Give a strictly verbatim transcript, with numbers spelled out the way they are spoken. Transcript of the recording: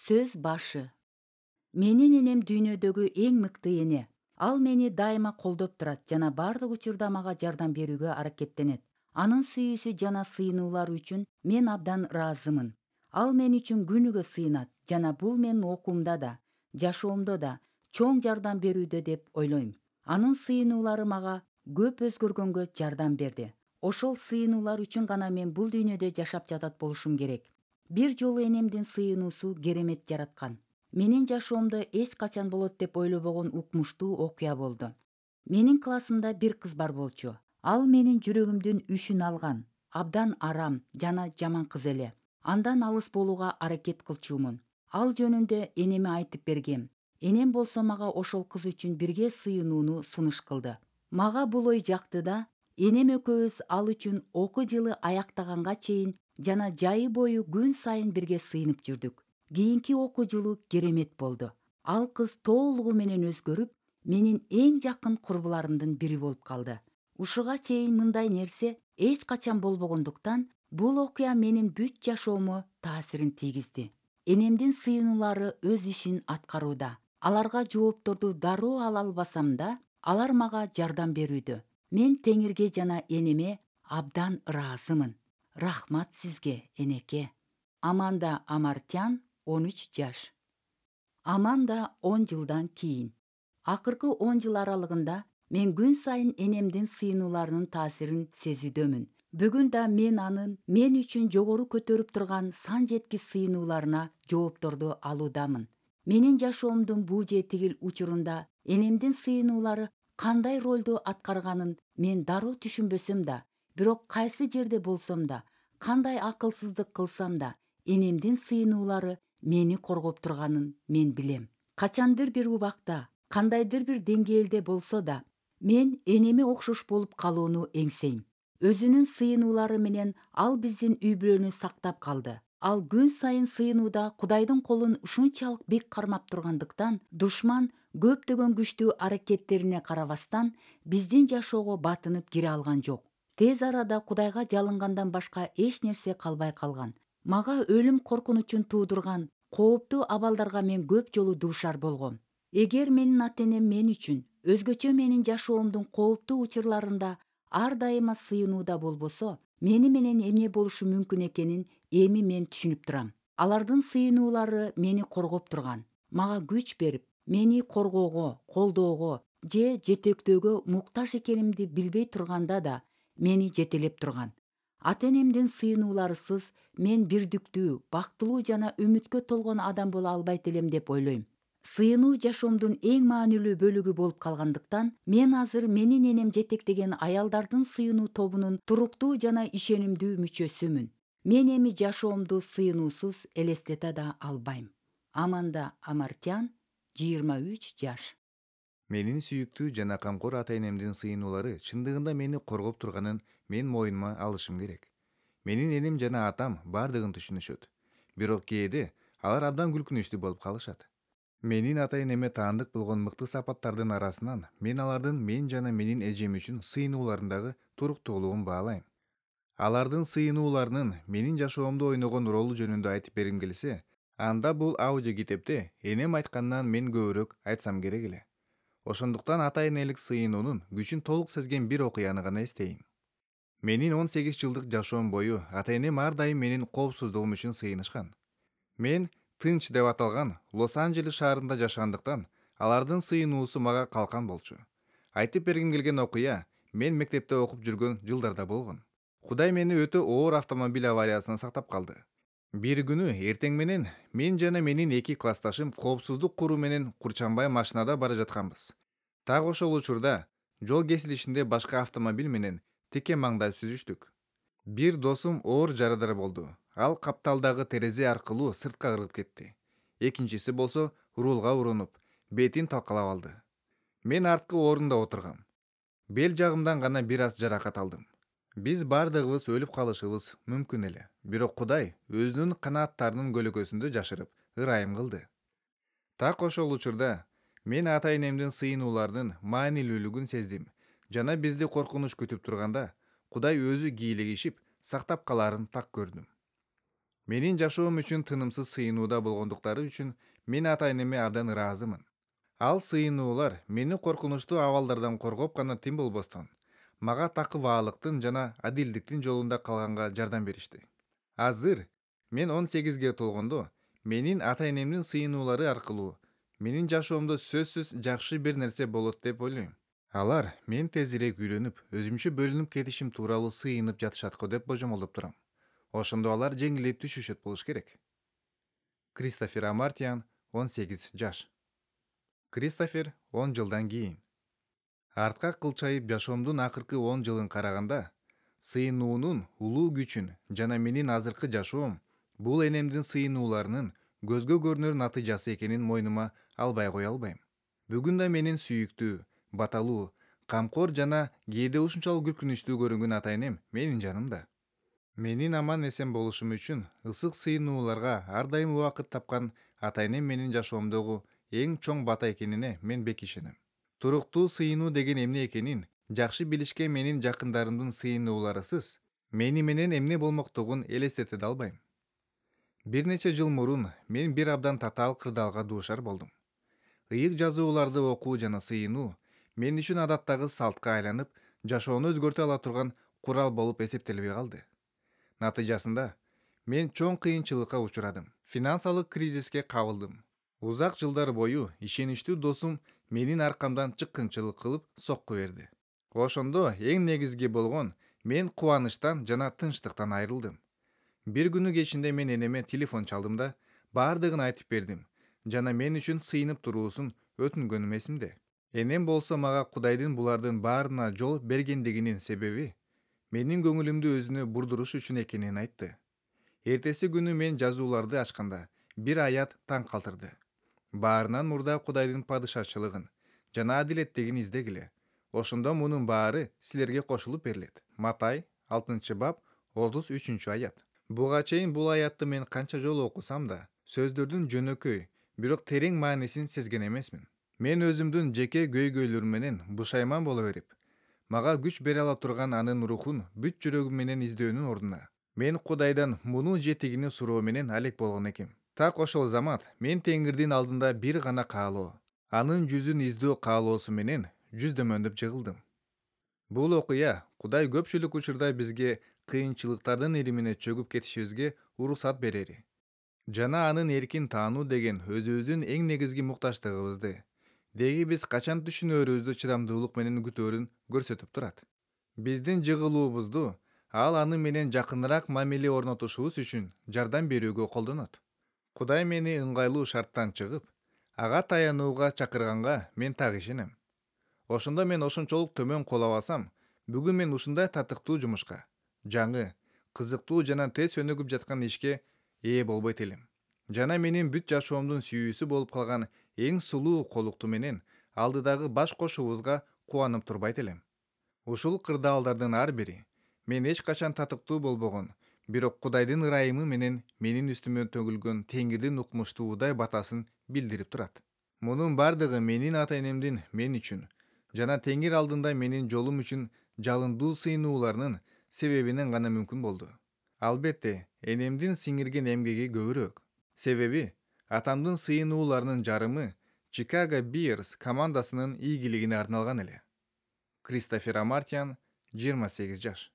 Сөз башы. Менин энем дүйнөдөгү эң мыкты эне. Ал мени дайыма колдоп турат жана бардык учурда мага жардам берүүгө аракеттенет. Анын сүйүүсү жана сыйынуулары үчүн мен абдан ыраазымын. Ал мен үчүн күнүгө сыйынат жана бул менин окуумда да, жашоомдо да чоң жардам берүүдө деп ойлойм. Анын сыйынуулары мага көп өзгөргөнгө жардам берди. Ошол сыйынуулар үчүн гана мен бул дүйнөдө жашап жатат болушум керек. Бир жолу энемдин сыйынуусу керемет жараткан. Менин жашоомдо эч качан болот деп ойлобогон укмуштуу окуя болду. Менин классымда бир кыз бар болчу. Ал менин жүрөгүмдүн үшүн алган, абдан арам жана жаман кыз эле. Андан алыс болууга аракет кылчумун. Ал жөнүндө энеме айтып бергем. Энем болсо мага ошол кыз үчүн бирге сыйынууну сунуш кылды. Мага бул ой жакты да, энем экөөбүз ал үчүн окуу жылы аяктаганга чейин жана жайы бою күн сайын бирге сыйынып жүрдүк. Кийинки окуу жылы керемет болду. Ал кыз толугу менен өзгөрүп, менин эң жакын курбуларымдын бири болуп калды. Ушуга чейин мындай нерсе эч качан болбогондуктан, бул окуя менин бүт жашоомо таасирин тийгизди. Энемдин сыйынуулары өз ишин аткарууда. Аларга жоопторду дароо ала албасам да, алар мага жардам берүүдө. Мен Теңирге жана энеме абдан ыраазымын. Рахмат сизге, энеке. Аманда Амартян, он үч жаш. Аманда он жылдан кийин. Акыркы он жыл аралыгында мен күн сайын энемдин сыйынууларынын таасирин сезүүдөмүн. Бүгүн да мен анын мен үчүн жогору көтөрүп турган сан жеткис сыйынууларына жоопторду алуудамын. Менин жашоомдун бул же тигил учурунда энемдин сыйынуулары кандай ролду аткарганын мен дароо түшүнбөсөм да, бирок кайсы жерде болсом да, кандай акылсыздык кылсам да, энемдин сыйынуулары мени коргоп турганын мен билем. Качандыр бир убакта, кандайдыр бир деңгээлде болсо да, мен энеме окшош болуп калууну эңсейм. Өзүнүн сыйынуулары менен ал биздин үй бүлөнү сактап калды. Ал күн сайын сыйынууда Кудайдын колун ушунчалык бек кармап тургандыктан, душман көптөгөн күчтүү аракеттерине карабастан биздин жашоого батынып кире алган жок. Тез арада Кудайга жалынгандан башка эч нерсе калбай калган. Мага өлүм коркунучун туудурган кооптуу абалдарга мен көп жолу дуушар болгом. Эгер менин ата-энем мен үчүн, өзгөчө менин жашоомдун кооптуу учурларында ар дайыма сыйынууда болбосо, мени менен эмне болушу мүмкүн экенин эми мен түшүнүп турам. Алардын сыйынуулары мени коргоп турган, мага күч берип, мени коргоого, колдоого же жетектөөгө муктаж экенимди билбей турганда да мени жетелеп турган. Ата-энемдин сыйынууларысыз мен бирдиктүү, бактылуу жана үмүткө толгон адам боло албайт элем деп ойлойм. Сыйынуу жашоомдун эң маанилүү бөлүгү болуп калгандыктан, мен азыр менин энем жетектеген аялдардын сыйынуу тобунун туруктуу жана ишенимдүү мүчөсүмүн. Мен эми жашоомду сыйынуусуз элестете да албайм. Аманда Амартян, жыйырма үч жаш. Менин сүйүктүү жана камкор ата-энемдин сыйынуулары чындыгында мени коргоп турганын мен моюнума алышым керек. Менин энем жана атам бардыгын түшүнүшөт. Бирок кээде алар абдан күлкүнүчтүү болуп калышат. Менин ата-энеме таандык болгон мыкты сапаттардын арасынан мен алардын мен жана менин эжем үчүн сыйынууларындагы туруктуулугун баалайм. Алардын сыйынууларынын менин жашоомдо ойногон ролу жөнүндө айтып бергим келсе, анда бул аудио китепте энем айтканынан мен көбүрөөк айтсам керек эле. Ошондуктан ата-энелик сыйынуунун күчүн толук сезген бир окуяны гана эстейм. Менин он сегиз жылдык жашоом бою ата-энем ар дайым менин коопсуздугум үчүн сыйынышкан. Мен Тынч деп аталган Лос-Анджелес шаарында жашагандыктан, алардын сыйынуусу мага калкан болчу. Айтып бергим келген окуя мен мектепте окуп жүргөн жылдарда болгон. Кудай мени өтө оор автомобиль авариясынан сактап калды. Бир күнү эртең менен мен жана менин эки классташым коопсуздук куруу менен Курчанбай машинада бара жатканбыз. Так ошол учурда жол кесилишинде башка автомобиль менен тике маңда сүзүштүк. Бир досум оор жарадар болду. Ал капталдагы терезе аркылуу сыртка кыргып кетти. Экинчиси болсо рулга урунуп, бетин талкалап алды. Мен арткы орунда отургам. Бел жагымдан гана бир аз жаракат алдым. Биз бардыгыбыз өлүп калышыбыз мүмкүн эле. Бирок Кудай өзүнүн канааттарынын көлөкөсүндө жашырып, ырайым кылды. Так ошол учурда мен ата-энемдин сыйынууларынын маанилүүлүгүн сездим жана бизди коркунуч күтүп турганда, Кудай өзү кийлигишип, сактап калаарын так көрдүм. Менин жашоом үчүн тынымсыз сыйынууда болгондуктары үчүн мен ата-энеме абдан ыраазымын. Ал сыйынуулар мени коркунучтуу абалдардан коргоп гана тим болбостон, мага такыбаалыктын жана адилдиктин жолунда калганга жардам беришти. Азыр мен он сегизге толгондо менин ата-энемдин сыйынуулары аркылуу менин жашоомдо сөзсүз жакшы бир нерсе болот деп ойлойм. Алар мен тезирээк үйлөнүп, өзүмчө бөлүнүп кетишим тууралуу сыйынып жатышат го деп божомолдоп турам. Ошондо алар жеңилдеп түшүшөт болуш керек. Кристофер Амартьян, он сегиз жаш. Кристофер он жылдан кийин. Артка кылчайып жашоомдун акыркы он жылын караганда, сыйынуунун улуу күчүн жана менин азыркы жашоом бул энемдин сыйынууларынын көзгө көрүнөр натыйжасы экенин мойнума албай кое албайм. Бүгүн да менин сүйүктүү, баталуу, камкор жана кээде ушунчалык күлкүнүчтүү көрүнгөн ата-энем менин жанымда. Менин аман эсен болушум үчүн ысык сыйынууларга ар дайым убакыт тапкан ата-энем менин жашоомдогу эң чоң бата экенине мен бек ишенем. Туруктуу сыйынуу деген эмне экенин жакшы билишкен менин жакындарымдын сыйынууларысыз мени менен эмне болмоктугун элестете да албайм. Бир нече жыл мурун мен бир абдан татаал кырдаалга дуушар болдум. Ыйык жазууларды окуу жана сыйынуу мен үчүн адаттагы салтка айланып, жашоону өзгөртө ала турган курал болуп эсептелбей калды. Натыйжасында мен чоң кыйынчылыкка учурадым. Финансылык кризиске кабылдым. Узак жылдар бою ишеничтүү досум менин аркамдан чыккынчылык кылып сокку берди. Ошондо эң негизги болгон мен кубанычтан жана тынчтыктан айрылдым. Бир күнү кечинде мен энеме телефон чалдым да баардыгын айтып бердим жана мен үчүн сыйынып туруусун өтүнгөнүм эсимде. Энем болсо мага Кудайдын булардын баарына жол бергендигинин себеби менин көңүлүмдү өзүнө бурдуруш үчүн экенин айтты. Эртеси күнү мен жазууларды ачканда бир аят таң калтырды. Баарынан мурда Кудайдын падышачылыгын жана адилеттигин издегиле. Ошондо мунун баары силерге кошулуп берилет. Матай алтынчы бап отуз үчүнчү аят. Буга чейин бул аятты мен канча жолу окусам да, сөздөрдүн жөнөкөй, бирок терең маанисин сезген эмесмин. Мен өзүмдүн жеке көйгөйлөрүм менен бушайман боло берип, мага күч бере ала турган анын рухун бүт жүрөгүм менен издөөнүн ордуна, мен Кудайдан мунун жетигини суроо менен алек болгон экем. Так ошол замат мен Теңирдин алдында бир гана каалоо, анын жүзүн издөө каалоосу менен жүздөмөндөп жыгылдым. Бул окуя Кудай көпчүлүк учурда бизге кыйынчылыктардын иримине чөгүп кетишибизге уруксат берери жана анын эркин таануу деген өзүбүздүн эң негизги муктачтыгыбызды, деги биз качан түшүнөөрүбүздү чыдамдуулук менен күтөөрүн көрсөтүп турат. Биздин жыгылуубузду ал аны менен жакыныраак мамиле орнотушубуз үчүн жардам берүүгө колдонот. Кудай мени ыңгайлуу шарттан чыгып, ага таянууга чакырганга мен так ишенем. Ошондо мен ошончолук төмөн кол алсам, бүгүн мен ушундай татыктуу жумушка, жаңы, кызыктуу жана тез өнүгүп жаткан ишке ээ болбойт элем. Жана менин бүт жашоомдун сүйүүсү болуп калган эң сулуу колукту менен алдыдагы баш кошуубузга кубанып турбайт элем. Ушул кырдаалдардын ар бири мен эч качан татыктуу болбогон, бирок Кудайдын ырайымы менен менин үстүмө төгүлгөн Теңирдин укмуштуу Удай батасын билдирип турат. Мунун бардыгы менин ата-энемдин мен үчүн жана Теңир алдында менин жолум үчүн жалындуу сыйынууларынын себебинен гана мүмкүн болду. Албетте, энемдин сиңирген эмгеги көбүрөөк. Себеби атамдын сыйынууларынын жарымы Chicago Bears командасынын ийгилигине арналган эле. Кристофер Амартьян, жыйырма сегиз жаш.